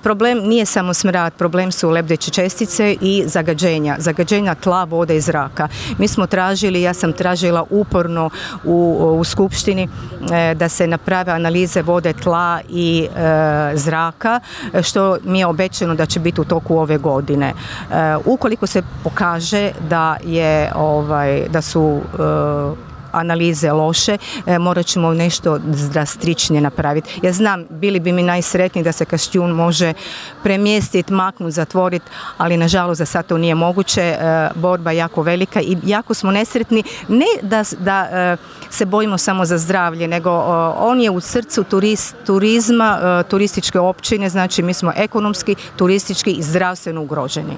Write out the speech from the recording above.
Problem nije samo smrad, problem su lebdeće čestice i zagađenja tla, vode i zraka. Mi smo tražili, ja sam tražila uporno u skupštini da se naprave analize vode, tla i zraka, što mi je obećano da će biti u toku ove godine. Ukoliko se pokaže da su analize loše, morat ćemo nešto drastičnije napraviti. Ja znam, bili bi mi najsretniji da se Kaštijun može premjestiti, maknuti, zatvoriti, ali nažalost za sad to nije moguće. Borba je jako velika i jako smo nesretni. Ne da se bojimo samo za zdravlje, nego on je u srcu turizma, turističke općine, znači mi smo ekonomski, turistički i zdravstveno ugroženi.